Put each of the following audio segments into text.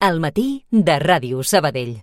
Al matí de Ràdio Sabadell.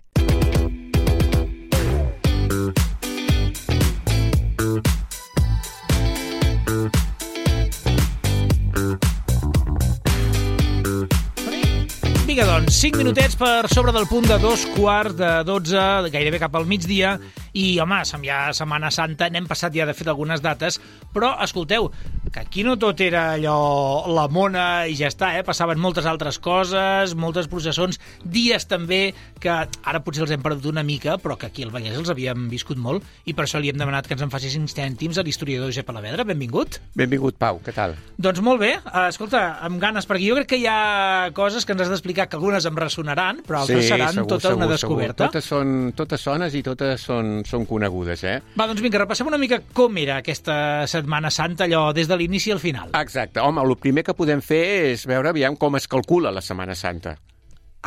Vinga, doncs, 5 minutets per sobre del punt de 2:15, gairebé cap al migdia, i, home, ja Setmana Santa, n'hem passat ja, de fet, algunes dates, però, escolteu, que aquí no tot era allò, la mona i ja està, passaven moltes altres coses, moltes processons, dies també, que ara potser els hem perdut una mica, però que aquí al Vallès els havíem viscut molt, i per això li hem demanat que ens en faci 5 cèntims a l'historiador Josep Alavedra. Benvingut. Benvingut, Pau, què tal? Doncs molt bé, escolta, amb ganes, perquè jo crec que hi ha coses que ens has d'explicar, que algunes em ressonaran, però altres seran tota una descoberta. Totes sones i totes són conegudes, Va, doncs vinga, repassem una mica com era aquesta Setmana Santa, allò des de l'inici al final. Exacte. Home, el primer que podem fer és veure aviam com es calcula la Setmana Santa.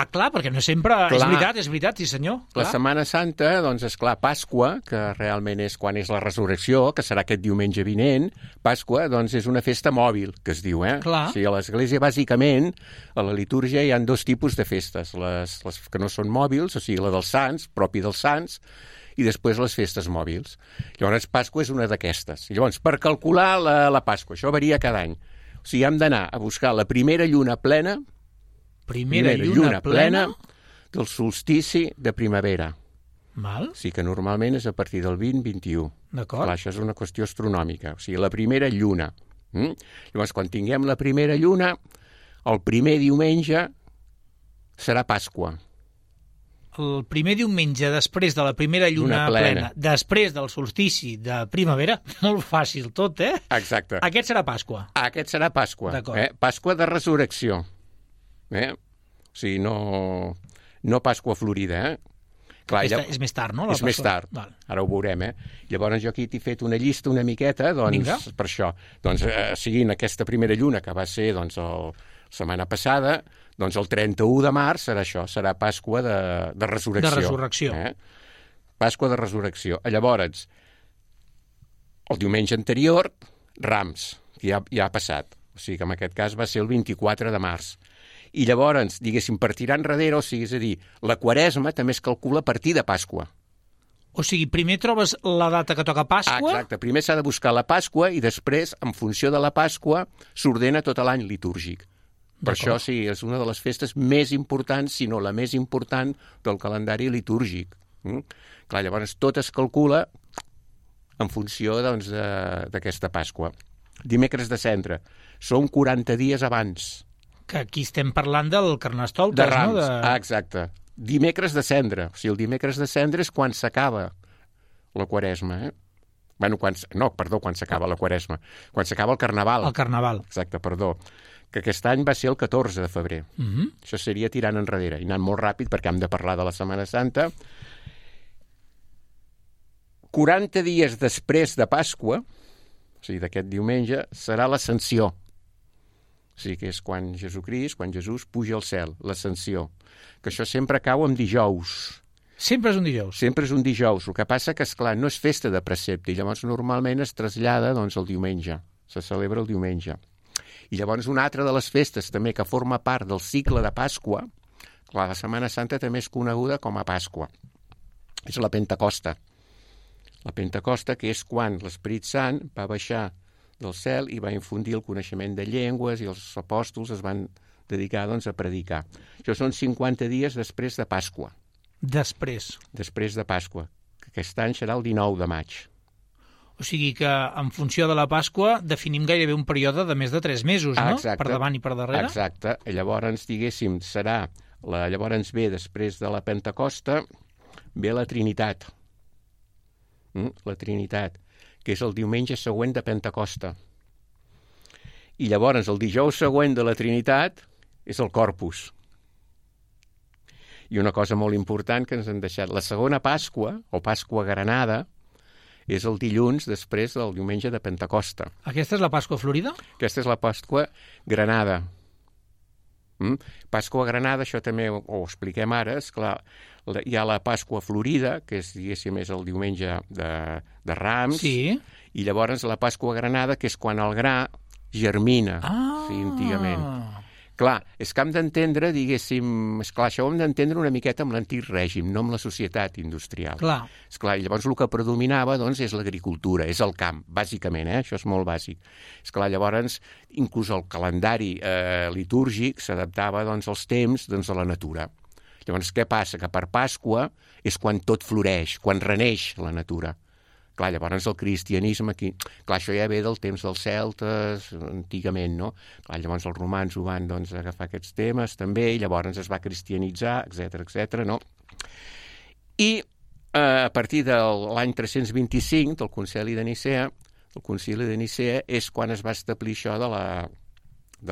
Ah, clar, perquè no sempre... És veritat, sí senyor. La Setmana Santa, doncs, és clar, Pasqua, que realment és quan és la resurrecció, que serà aquest diumenge vinent, Pasqua, doncs, és una festa mòbil, que es diu, Clar. O sigui, a l'Església, bàsicament, a la litúrgia hi ha 2 tipus de festes, les que no són mòbils, o sigui, la dels sants, propi dels sants, i després les festes mòbils. Llavors, Pasqua és una d'aquestes. Llavors, per calcular la Pasqua, això varia cada any. O sigui, hem d'anar a buscar la primera lluna plena, Primera lluna plena del solstici de primavera. Val. O sigui que normalment és a partir del 20-21. D'acord. Clar, això és una qüestió astronòmica. O sigui, la primera lluna. Llavors, quan tinguem la primera lluna, el primer diumenge serà Pasqua. El primer diumenge després de la primera lluna plena, després del solstici de primavera, molt fàcil tot, Exacte. Aquest serà Pasqua. Aquest serà Pasqua. D'acord. Pasqua de resurrecció. O sigui, no Pasqua florida, Clar, és més tard, no? És més tard. Val. Ara ho veurem, Llavors jo aquí t'he fet una llista una miqueta, doncs, Vinga. Per això. Doncs, seguint aquesta primera lluna, que va ser, doncs, la setmana passada, doncs el 31 de març serà això, serà Pasqua de resurrecció. De resurrecció. Pasqua de resurrecció. Llavors, el diumenge anterior, Rams, que ja ha passat. O sigui que en aquest cas va ser el 24 de març. I llavors, diguéssim, per tirar enrere, o sigui, és a dir, la Quaresma també es calcula a partir de Pasqua. O sigui, primer trobes la data que toca Pasqua... Exacte, primer s'ha de buscar la Pasqua i després, en funció de la Pasqua, s'ordena tot l'any litúrgic. Per això, sí, és una de les festes més importants, si no la més important, del calendari litúrgic. Clar, llavors tot es calcula en funció, doncs, d'aquesta Pasqua. Dimecres de Cendra. Són 40 dies abans. Que aquí estem parlant del Carnestoltes, de Rams, no? Exacte. Dimecres de Cendra. O sigui, el dimecres de Cendra és quan s'acaba la Quaresma, quan s'acaba la Quaresma. Quan s'acaba el Carnaval. El Carnaval. Exacte, perdó. Que aquest any va ser el 14 de febrer. Això seria tirant enrere. I anant molt ràpid, perquè hem de parlar de la Setmana Santa. 40 dies després de Pasqua, o sigui, d'aquest diumenge, serà l'Ascensió. O sigui, que és quan Jesús puja al cel, l'Ascensió. Que això sempre cau en dijous. Sempre és un dijous. Sempre és un dijous. El que passa que, esclar, no és festa de precepte, i llavors normalment es trasllada, doncs, el diumenge. Se celebra el diumenge. I llavors una altra de les festes també que forma part del cicle de Pasqua, clar, la Setmana Santa també és coneguda com a Pasqua. És la Pentecosta. La Pentecosta, que és quan l'Esperit Sant va baixar del cel i va infundir el coneixement de llengües i els apòstols es van dedicar, doncs, a predicar. Això són 50 dies després de Pasqua. Després de Pasqua, que aquest any serà el 19 de maig. O sigui que, en funció de la Pasqua, definim gairebé un període de més de 3 mesos, no? Exacte. Per davant i per darrere. Exacte. Llavors, diguéssim, llavors ve, després de la Pentecosta, ve la Trinitat. La Trinitat, que és el diumenge següent de Pentecosta. I llavors, el dijous següent de la Trinitat és el Corpus. I una cosa molt important que ens han deixat, la segona Pasqua, o Pasqua Granada, és el dilluns després del diumenge de Pentecosta. Aquesta és la Pasqua Florida? Aquesta és la Pasqua Granada. Pasqua Granada, això també ho expliquem ara, esclar, hi ha la Pasqua Florida, que és, diguéssim, és el diumenge de Rams, sí. I llavors la Pasqua Granada, que és quan el gra germina, sí, antigament. Clar, és que hem d'entendre, diguéssim, esclar, això ho hem d'entendre una miqueta amb l'antic règim, no amb la societat industrial. Clar. Esclar, i llavors el que predominava doncs, és l'agricultura, és el camp, bàsicament, això és molt bàsic. Esclar, llavors, inclús el calendari litúrgic s'adaptava doncs, als temps doncs, de la natura. Llavors, què passa? Que per Pasqua és quan tot floreix, quan reneix la natura. Clar, llavors el cristianisme aquí... Clar, això ja ve del temps dels celtes, antigament, no? Clar, llavors els romans ho van doncs, agafar aquests temes també, i llavors es va cristianitzar, etc, no? I a partir de l'any 325, del Concili de Nicea, és quan es va establir això de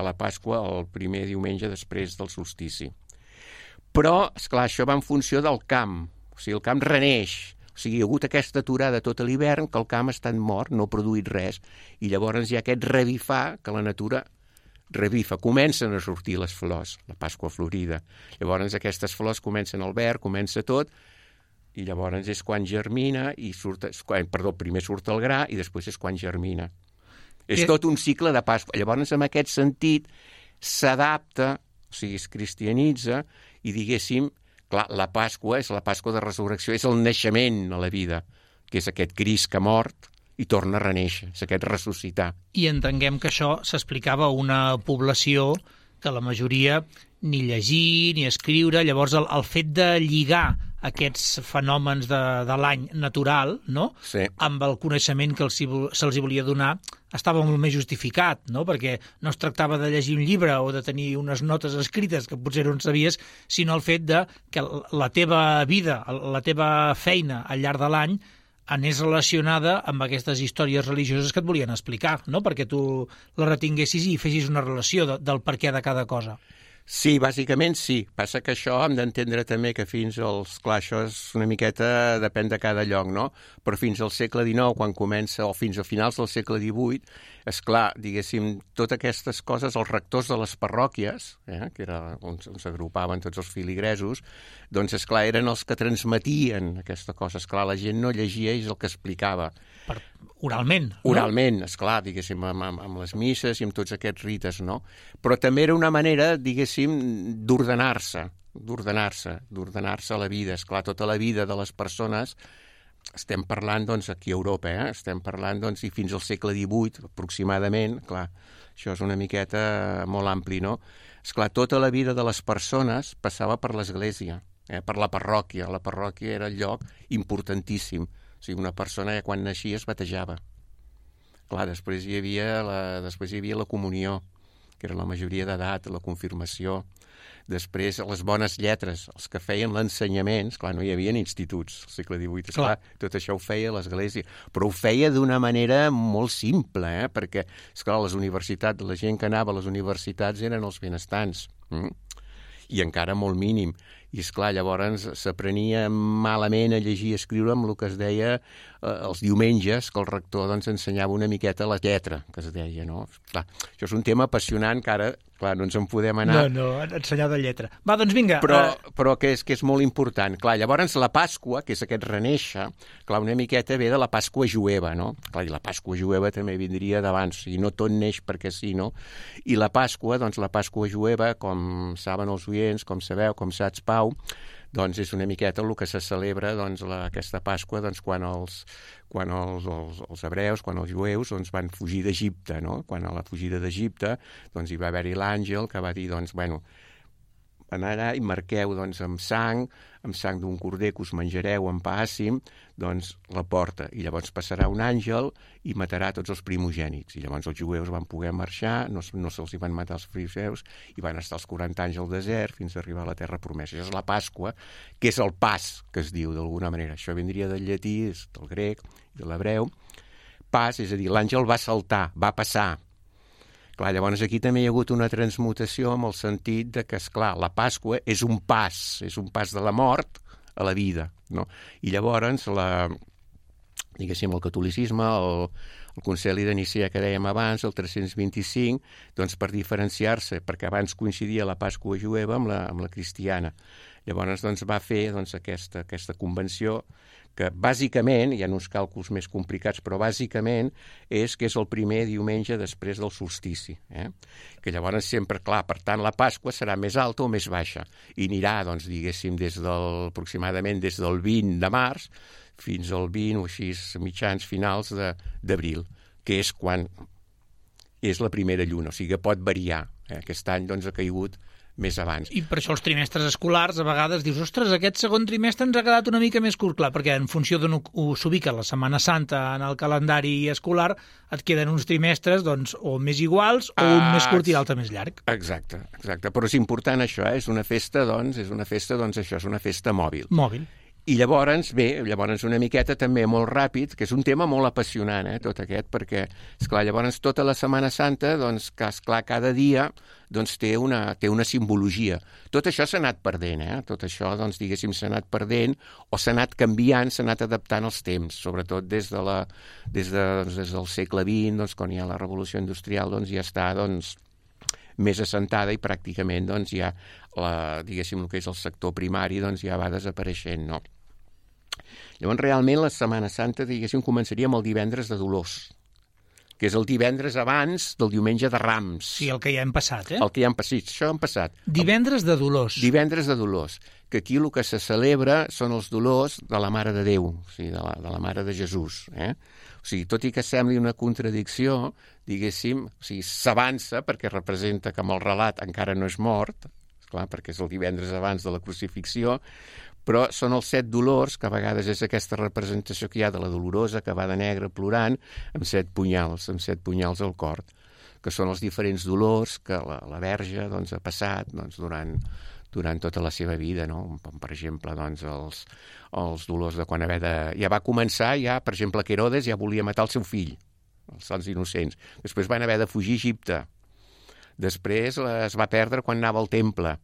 la Pasqua el primer diumenge després del solstici. Però, esclar, això va en funció del camp. O sigui, el camp reneix. O sigui, hi ha hagut aquesta aturada tot l'hivern que el camp ha estat mort, no ha produït res. I llavors hi ha aquest revifar que la natura revifa. Comencen a sortir les flors, la Pasqua florida. Llavors aquestes flors comencen al verd, comença tot, i llavors és quan germina, primer surt el gra i després és quan germina. És tot un cicle de Pasqua. Llavors, en aquest sentit, s'adapta, o sigui, es cristianitza, i diguéssim, clar, la Pasqua és la Pasqua de resurrecció, és el naixement a la vida, que és aquest Crist que ha mort i torna a reneixer, és aquest ressuscitar. I entenguem que això s'explicava a una població que la majoria ni llegir ni escriure, llavors el fet de lligar aquests fenòmens de l'any natural, no? Sí. Amb el coneixement que se'ls volia donar, estava molt més justificat, no? Perquè no es tractava de llegir un llibre o de tenir unes notes escrites que potser no en sabies, sinó el fet de que la teva vida, la teva feina al llarg de l'any anés relacionada amb aquestes històries religioses que et volien explicar, no? Perquè tu la retinguessis i fessis una relació del per què de cada cosa. Sí, bàsicament sí. Passa que això hem d'entendre també que fins als... Clar, això és una miqueta... depèn de cada lloc, no? Però fins al segle XIX, quan comença, o fins a finals del segle XVIII, és clar, diguéssim, totes aquestes coses, els rectors de les parròquies, que era on s'agrupaven tots els filigresos, doncs, és clar, eren els que transmetien aquesta cosa. És clar, la gent no llegia i és el que explicava. Oralment. No? Oralment, esclar, diguéssim, amb les misses i amb tots aquests rites, no? Però també era una manera, diguéssim, d'ordenar-se a la vida. Esclar, tota la vida de les persones, estem parlant, doncs, aquí a Europa, estem parlant, doncs, i fins al segle XVIII, aproximadament, clar, això és una miqueta molt ampli, no? Esclar, tota la vida de les persones passava per l'església, per la parròquia. La parròquia era el lloc importantíssim. O sigui, una persona quan naixia es batejava. Clar, després hi havia la comunió, que era la majoria d'edat, la confirmació. Després, les bones lletres, els que feien l'ensenyament, clar, no hi havia instituts al segle XVIII, esclar, tot això ho feia l'església, però ho feia d'una manera molt simple, perquè, esclar, les universitats, la gent que anava a les universitats eren els benestants, i encara molt mínim. I, esclar, llavors s'aprenia malament a llegir i escriure amb el que es deia els diumenges, que el rector doncs, ensenyava una miqueta la lletra, que es deia, no? Clar, això és un tema apassionant que ara, clar, no ens en podem anar... No, ensenyar de lletra. Va, doncs vinga. Però que és molt important. Clar, llavors la Pasqua, que és aquest reneixer, clar, una miqueta ve de la Pasqua jueva, no? Clar, i la Pasqua jueva també vindria d'abans, o sigui, no tot neix perquè sí, no? I la Pasqua, doncs la Pasqua jueva, com saben els oients, com sabeu, com saps, Pau, doncs és una miqueta el que se celebra doncs, aquesta Pasqua doncs, quan els hebreus, quan els jueus doncs, van fugir d'Egipte, no? Quan a la fugida d'Egipte doncs, hi va haver-hi l'àngel que va dir, doncs, bueno, anar allà i marqueu doncs, amb sang d'un corder que us menjareu en pa àcim, doncs la porta. I llavors passarà un àngel i matarà tots els primogènits. I llavors els jueus van poder marxar, no se'ls hi van matar els fariseus, i van estar els 40 anys al desert fins a arribar a la terra promesa. Això és la Pasqua, que és el pas, que es diu d'alguna manera. Això vindria del llatí, del grec, de l'hebreu. Pas, és a dir, l'àngel va saltar, va passar. Clar, llavors aquí també hi ha hagut una transmutació amb el sentit de que, esclar, la Pasqua és un pas de la mort a la vida, no? I llavors diguéssim, el catolicisme, el concili de Nicea que dèiem abans, el 325, doncs per diferenciar-se, perquè abans coincidia la Pasqua jueva amb la cristiana. Llavors doncs, va fer doncs, aquesta convenció que bàsicament, hi ha uns càlculs més complicats, però bàsicament és que és el primer diumenge després del solstici. Que llavors sempre, clar, per tant, la Pasqua serà més alta o més baixa. I anirà, doncs, diguéssim, aproximadament des del 20 de març fins al 20 o així mitjans finals d'abril, que és quan és la primera lluna. O sigui que pot variar. Aquest any doncs, ha caigut més abans. I per això els trimestres escolars a vegades dius, ostres, aquest segon trimestre ens ha quedat una mica més curt, clar, perquè en funció d'on s'ubica la Setmana Santa en el calendari escolar et queden uns trimestres doncs, o més iguals o un més curt i l'altre més llarg. Exacte. Però és important això, és una festa, doncs, això, és una festa mòbil. Mòbil. I llavors una miqueta també molt ràpid, que és un tema molt apassionant, tot aquest, perquè, esclar, llavors tota la Setmana Santa, doncs, que, esclar, cada dia doncs, té una simbologia. Tot això s'ha anat perdent, tot això, doncs, diguéssim, s'ha anat perdent o s'ha anat canviant, s'ha anat adaptant als temps, sobretot des del segle XX, doncs, quan hi ha la Revolució Industrial, doncs, ja està, doncs, més assentada i pràcticament, doncs, ja, diguéssim, el que és el sector primari, doncs, ja va desapareixent, no? Llavors, realment, la Setmana Santa, diguéssim, començaria amb el divendres de Dolors, que és el divendres abans del diumenge de Rams. Sí, el que ja hem passat, El que ja hem passat, això hem passat. Divendres de Dolors. Divendres de Dolors, que aquí el que se celebra són els dolors de la Mare de Déu, o sigui, de la Mare de Jesús. O sigui, tot i que sembli una contradicció, diguéssim, o sigui, s'avança perquè representa que amb el relat encara no és mort, esclar, perquè és el divendres abans de la crucifixió, però són els 7 dolors, que a vegades és aquesta representació que hi ha de la Dolorosa, que va de negre plorant, amb 7 punyals al cor, que són els diferents dolors que la Verge doncs, ha passat doncs, durant tota la seva vida, no? Per exemple, doncs, els dolors de quan ja va començar, per exemple, que Herodes ja volia matar el seu fill, els sants innocents. Després van haver de fugir a Egipte. Després es va perdre quan anava al temple,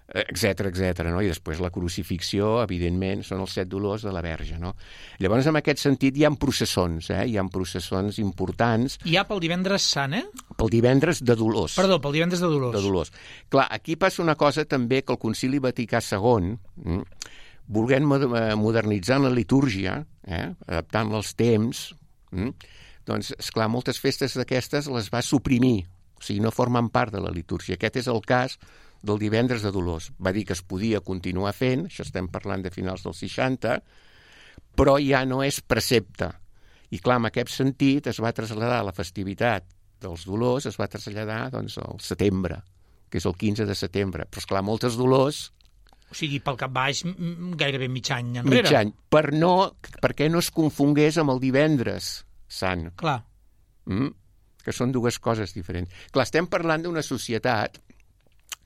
etcètera, no? I després la crucifixió, evidentment, són els 7 dolors de la Verge, no? Llavors, en aquest sentit, hi ha processons, hi ha processons importants. Hi ha pel divendres sant, Pel divendres de Dolors. Perdó, pel divendres de Dolors. De Dolors. Clar, aquí passa una cosa també que el Concili Vaticà II, volent modernitzar la litúrgia, adaptant-la als temps, doncs, esclar, moltes festes d'aquestes les va suprimir, o sigui, no formen part de la litúrgia. Aquest és el cas del divendres de Dolors. Va dir que es podia continuar fent, això estem parlant de finals dels 60, però ja no és precepte. I clar, en aquest sentit es va traslladar la festivitat dels Dolors, es va traslladar doncs, al setembre, que és el 15 de setembre. Però esclar, moltes Dolors... O sigui, pel cap baix, gairebé mig any enrere. Mig any, perquè no es confongués amb el divendres sant. Clar. Que són dues coses diferents. Clar, estem parlant d'una societat.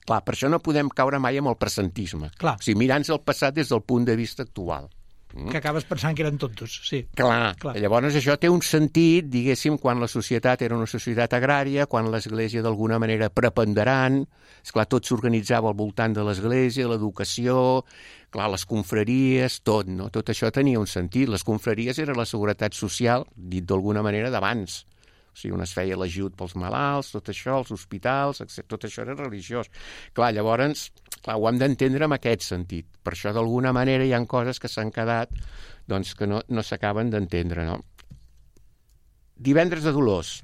Clar, per això no podem caure mai amb el presentisme. Clar. O sigui, mirant el passat des del punt de vista actual. Que acabes pensant que eren tontos, sí. Clar. Llavors això té un sentit, diguéssim, quan la societat era una societat agrària, quan l'Església d'alguna manera preponderant, esclar, tot s'organitzava al voltant de l'Església, l'educació, clar, les confraries, tot, no? Tot això tenia un sentit. Les confraries era la seguretat social, dit d'alguna manera, d'abans. O sigui, on es feia l'ajut pels malalts, tot això, els hospitals, etc. Tot això era religiós. Clar, llavors, ho hem d'entendre en aquest sentit. Per això, d'alguna manera, hi ha coses que s'han quedat doncs, que no s'acaben d'entendre, no? Divendres de Dolors.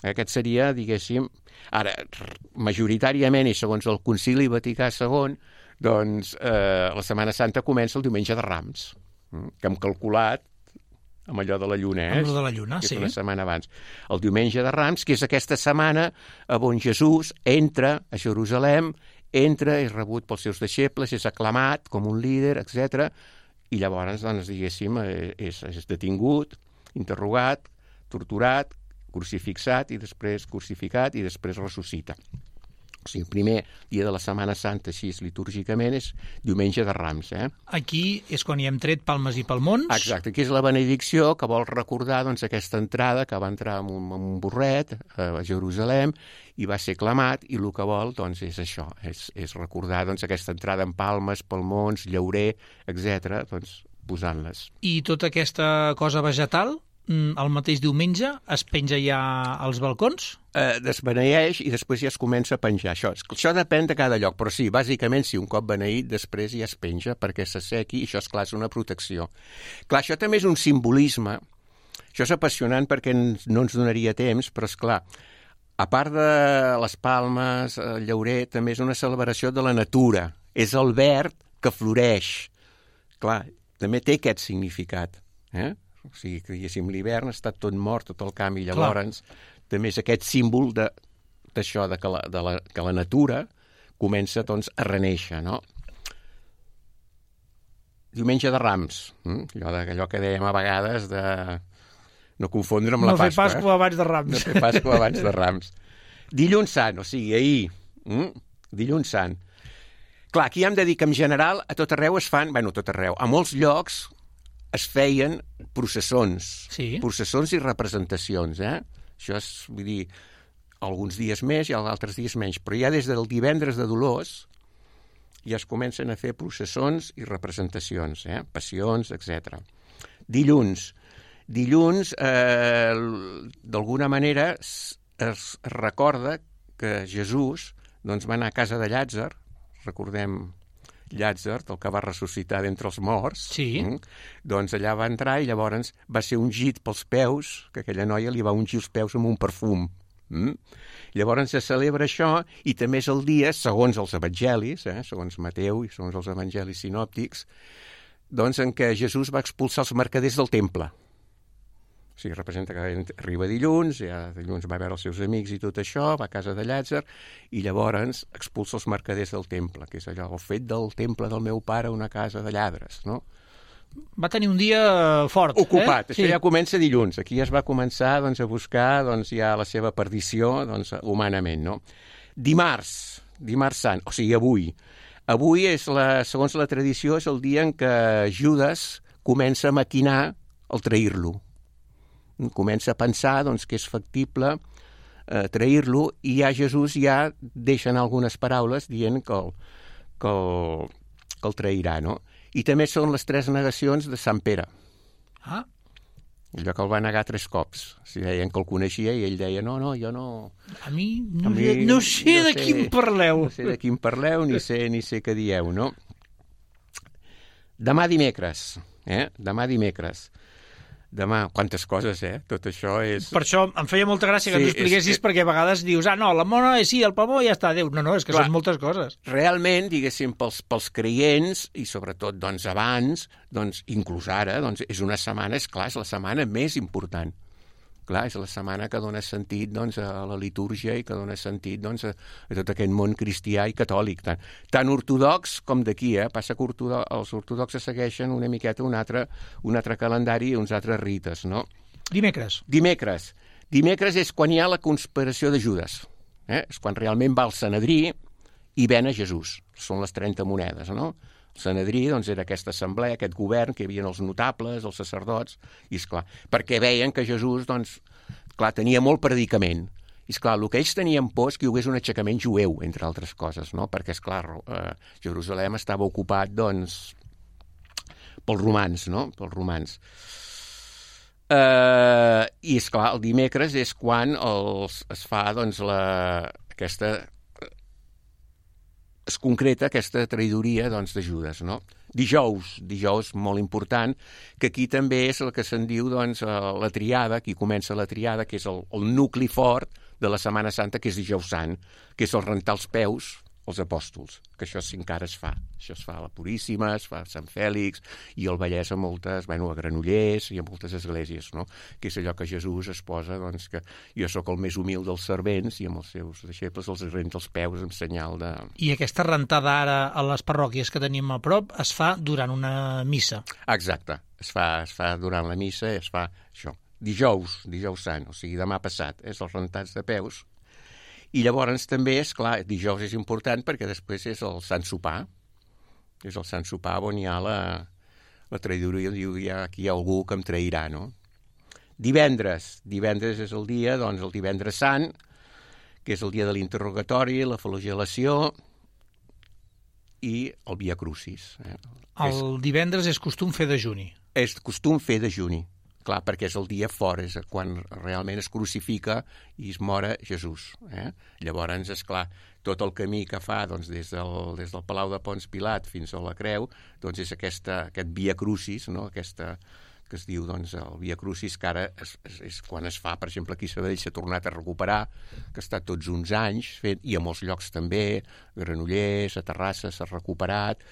Aquest seria, diguéssim... Ara, majoritàriament, i segons el Concili Vaticà II, doncs, la Setmana Santa comença el diumenge de Rams, que hem calculat amb allò de la lluna, Amb allò de la lluna, sí. Que és una setmana abans. El diumenge de Rams, que és aquesta setmana on Jesús entra a Jerusalem, és rebut pels seus deixebles, és aclamat com un líder, etc. I llavors, doncs, diguéssim, és detingut, interrogat, torturat, crucificat i després ressuscita. O sigui, el primer dia de la Setmana Santa, així litúrgicament, és diumenge de Rams. Aquí és quan hi hem tret palmes i palmons. Exacte, aquí és la benedicció que vol recordar doncs, aquesta entrada que va entrar amb un burret a Jerusalem i va ser aclamat, i el que vol doncs, és això, és recordar doncs, aquesta entrada amb palmes, palmons, llaurer, etc., doncs, posant-les. I tota aquesta cosa vegetal, el mateix diumenge, es penja ja als balcons? Desbeneeix i després ja es comença a penjar. Això depèn de cada lloc, però sí, bàsicament, si un cop beneït, després ja es penja perquè s'assequi i això, esclar, és una protecció. Clar, això també és un simbolisme. Això és apassionant perquè no ens donaria temps, però, esclar, a part de les palmes, el llaurer, també és una celebració de la natura. És el verd que floreix. Clar, també té aquest significat, O sigui, que diguéssim, l'hivern ha estat tot mort, tot el camp, i llavors també és aquest símbol d'això, que la natura comença, doncs, a renéixer, no? Diumenge de Rams, allò que dèiem a vegades de no confondre amb la Pasqua. No fer Pasqua abans de Rams. No fer Pasqua abans de Rams. Dilluns Sant, o sigui, ahir, dilluns Sant. Clar, aquí hem de dir que en general a tot arreu es fan, bueno, a tot arreu, a molts llocs es feien processons, processons i representacions, Això és, vull dir, alguns dies més i altres dies menys, però ja des del divendres de Dolors ja es comencen a fer processons i representacions, passions, etc. Dilluns, d'alguna manera es recorda que Jesús doncs, va anar a casa de Llàtzer, recordem Llàtzer, el que va ressuscitar d'entre els morts, doncs allà va entrar i llavors va ser ungit pels peus, que aquella noia li va ungir els peus amb un perfum. Llavors se celebra això i també és el dia, segons els evangelis, segons Mateu i segons els evangelis sinòptics, doncs en què Jesús va expulsar els mercaders del temple. O sigui, representa que arriba dilluns, ja dilluns va veure els seus amics i tot això, va a casa de Llàtzer, i llavors expulsa els mercaders del temple, que és allò, el fet del temple del meu pare una casa de lladres, no? Va tenir un dia fort. Ocupat, això ja comença dilluns. Aquí ja es va començar doncs, a buscar doncs, ja la seva perdició doncs, humanament, no? Dimarts Sant, o sigui, avui. Avui, segons la tradició, és el dia en què Judes comença a maquinar el trair-lo. Comença a pensar doncs, que és factible trair-lo i ja Jesús ja deixa anar algunes paraules dient que el trairà, no? I també són les 3 negacions de Sant Pere. Allò que el va negar 3 cops. O sigui, deien que el coneixia i ell deia, no, jo no... A mi no sé de qui em parleu. No sé de qui em parleu, ni sé què dieu, no? Demà dimecres. Demà, quantes coses, Tot això és... Per això em feia molta gràcia que ens ho expliquessis, perquè a vegades dius, no, la mona, sí, el pavó, ja està, adéu. No, és que són moltes coses. Realment, diguéssim, pels creients, i sobretot, doncs, abans, doncs, inclús ara, doncs, és una setmana, és la setmana més important. Clar, és la setmana que dona sentit doncs, a la litúrgia i que dona sentit doncs, a tot aquest món cristià i catòlic, tant ortodox com d'aquí. Passa que els ortodoxes segueixen una miqueta un altre calendari i uns altres rites, no? Dimecres és quan hi ha la conspiració de Judes. És quan realment va al Sanedrí i ven a Jesús. Són les 30 monedes, no? El Sanedrí doncs, era aquesta assemblea, aquest govern, que hi havia els notables, els sacerdots, i esclar, perquè veien que Jesús doncs, clar, tenia molt predicament. I esclar, el que ells tenien por és que hi hagués un aixecament jueu, entre altres coses, no? Perquè, esclar, Jerusalem estava ocupat doncs, pels romans, no? I, esclar, el dimecres és quan es fa doncs, es concreta aquesta traïdoria doncs, de Judes, no? Dijous molt important, que aquí també és el que se'n diu doncs, la triada, aquí comença la triada, que és el nucli fort de la Setmana Santa, que és Dijous Sant, que és el rentar els peus als apòstols, que això encara es fa. Això es fa a la Puríssima, es fa a Sant Fèlix, i al Vallès a moltes, a Granollers i a moltes esglésies, no? Que és allò que Jesús es posa, doncs, que jo sóc el més humil dels servents i amb els seus deixebles els renta els peus en senyal de... I aquesta rentada ara a les parròquies que tenim a prop es fa durant una missa. Exacte, es fa durant la missa, es fa això. Dijous Sant, o sigui, demà passat, és els rentats de peus. I llavors també, és clar, dijous és important perquè després és el Sant Sopar. És el Sant Sopar on hi ha la traïdoria, diu, aquí hi ha algú que em trairà, no? Divendres és el dia, doncs, el Divendres Sant, que és el dia de l'interrogatori, la flagel·lació, i el Via Crucis. El divendres és costum fer dejuni. És costum fer dejuni, clar, perquè és el dia fora, és quan realment es crucifica i es mora Jesús. Llavors, és clar, tot el camí que fa doncs, des del Palau de Ponç Pilat fins a la Creu, doncs és aquest Via Crucis, no? Aquesta que es diu doncs, el Via Crucis, que ara és quan es fa, per exemple, aquí a Sabadell s'ha tornat a recuperar, que ha estat tots uns anys fent, i a molts llocs també, a Granollers, a Terrassa s'ha recuperat,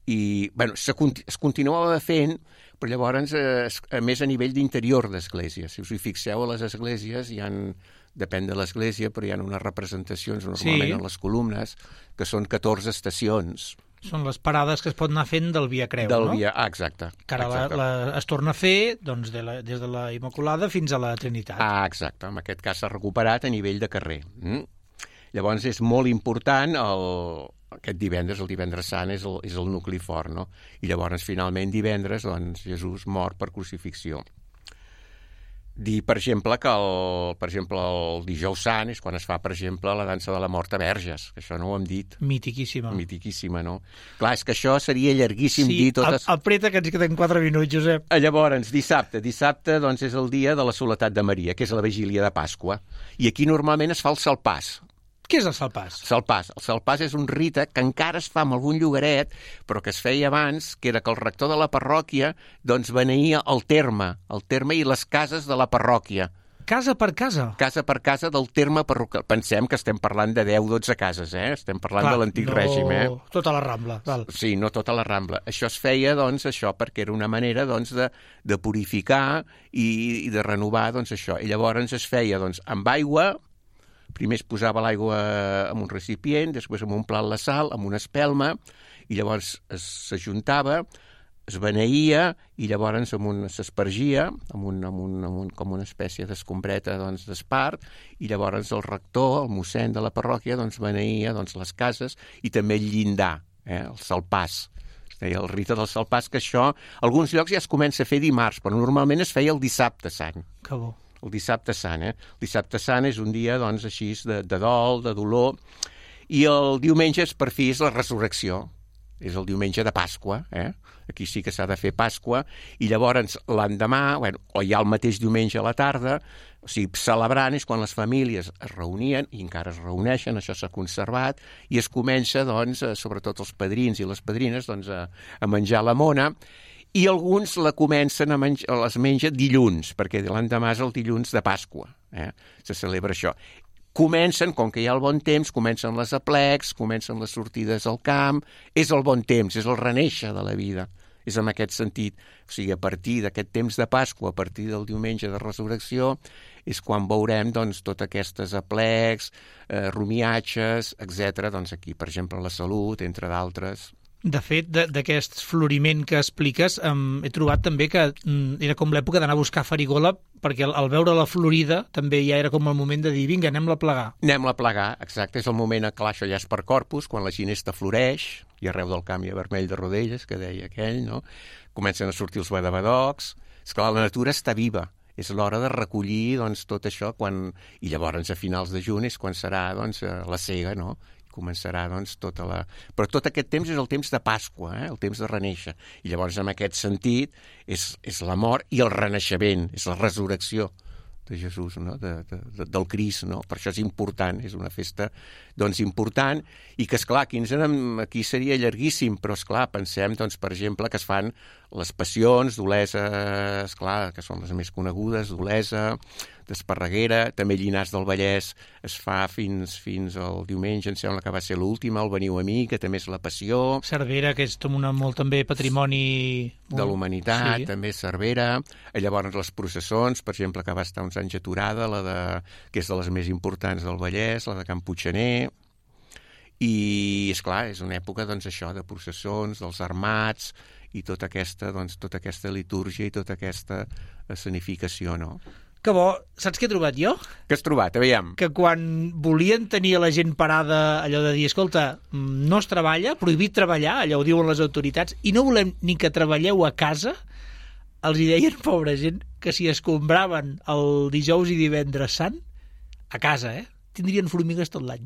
i bueno, es continuava fent, però llavors, a més a nivell d'interior d'església. Si us hi fixeu, a les esglésies depèn de l'església, però hi ha unes representacions normalment en les columnes, que són 14 estacions. Són les parades que es pot anar fent del Via Creu, no? Exacte. Que ara es torna a fer doncs, des de la Immaculada fins a la Trinitat. Exacte. En aquest cas s'ha recuperat a nivell de carrer. Llavors és molt important aquest divendres, el divendres sant, és el nucli fort, no? I llavors, finalment, divendres, doncs, Jesús mor per crucifixió. Dir, per exemple, que el dijous sant és quan es fa, per exemple, la dansa de la mort a Verges, que això no ho hem dit. Mitiquíssima. Mitiquíssima, no? Clar, és que això seria llarguíssim dir totes... Sí, apreta que ens queden 4 minuts, Josep. Llavors, dissabte, doncs, és el dia de la Soledat de Maria, que és la vigília de Pasqua. I aquí normalment es fa el salpàs. Què és el salpàs? El salpàs és un rite que encara es fa en algun llogaret, però que es feia abans, que era que el rector de la parròquia doncs beneïa el terme i les cases de la parròquia. Casa per casa? Casa per casa del terme parroquial. Pensem que estem parlant de 10-12 cases, Estem parlant de l'antic règim, tota la Rambla. Val. Sí, no tota la Rambla. Això es feia, doncs, perquè era una manera, doncs, de purificar i de renovar, doncs, això. I llavors es feia, doncs, amb aigua. Primer es posava l'aigua en un recipient, després en un plat la sal, amb una espelma, i llavors s'ajuntava, es beneïa, i llavors s'espargia com una espècie d'escombreta d'espart, i llavors el rector, el mossèn de la parròquia, beneïa les cases i també el llindar, el salpàs. Es deia el rite del salpàs, que això, a alguns llocs ja es comença a fer dimarts, però normalment es feia el dissabte sant. Que bo. El dissabte sant, El dissabte sant és un dia, doncs, així, de dol, de dolor, i el diumenge, per fi, és la resurrecció. És el diumenge de Pasqua, Aquí sí que s'ha de fer Pasqua, i llavors l'endemà, o ja el mateix diumenge a la tarda, o sigui, celebrant és quan les famílies es reunien, i encara es reuneixen, això s'ha conservat, i es comença, doncs, sobretot els padrins i les padrines, doncs, a menjar la mona, i alguns la comencen les menja dilluns, perquè l'endemà és el dilluns de Pasqua, se celebra això. Comencen, com que hi ha el bon temps, comencen les aplecs, comencen les sortides al camp, és el bon temps, és el renéixer de la vida, és en aquest sentit. O sigui, a partir d'aquest temps de Pasqua, a partir del diumenge de resurrecció, és quan veurem, doncs, totes aquestes aplecs, rumiatges, etc. Doncs aquí, per exemple, la Salut, entre d'altres. De fet, d'aquest floriment que expliques, he trobat també que era com l'època d'anar a buscar farigola, perquè al veure la florida també ja era com el moment de dir, vinga, anem-la a plegar. Anem-la a plegar, exacte. És el moment, clar, això ja és per Corpus, quan la ginesta floreix, i arreu del camp hi ha vermell de rodelles, que deia aquell, no? Comencen a sortir els badabadocs. És clar, la natura està viva. És l'hora de recollir, doncs, tot això, i llavors a finals de juny és quan serà, doncs, la sega, no? Començarà, doncs, Però tot aquest temps és el temps de Pasqua, el temps de renéixer. I llavors, en aquest sentit, és la mort i el renaixement, és la resurrecció de Jesús, no? Del Crist, no? Per això és important, és una festa, doncs, important, i que, esclar, aquí seria llarguíssim, però, esclar, pensem, doncs, per exemple, que es fan les passions d'Olesa, esclar, que són les més conegudes, d'Olesa, d'Esparreguera, també Llinars del Vallès es fa fins al diumenge, em sembla que va ser l'última, el Veniu a mi, que també és la Passió. Cervera, que és molt també patrimoni... De l'humanitat, sí. També Cervera. Llavors les processons, per exemple, que va estar uns anys aturada, que és de les més importants del Vallès, la de Can Puiggener. I, esclar, és una època, doncs, això, de processons, dels armats, i tota aquesta litúrgia i tota aquesta escenificació, no? Que bo. Saps què he trobat jo? Què has trobat? Aviam. Que quan volien tenir a la gent parada allò de dir, escolta, no es treballa, prohibit treballar, allò ho diuen les autoritats, i no volem ni que treballeu a casa, els hi deien, pobra gent, que si escombraven el dijous i divendres sant, a casa, tindrien formigues tot l'any.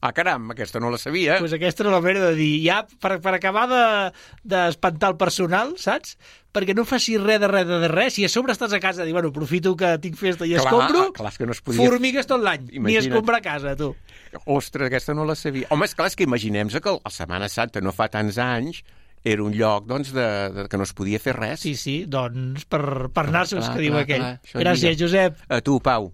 Ah, caram, aquesta no la sabia. Pues aquesta era la manera de dir, ja, per acabar d'espantar el personal, saps? Perquè no facis res de res. Si a sobre estàs a casa, dir, bueno, aprofito que tinc festa i escombro, clar, és que no es podia... formigues tot l'any, ni escombrar a casa, tu. Ostres, aquesta no la sabia. Home, és que imaginem-se que la Setmana Santa no fa tants anys era un lloc, doncs, que no es podia fer res. Sí, doncs, per anar-se'ls, que diu aquell. Gràcies, Josep. A tu, Pau.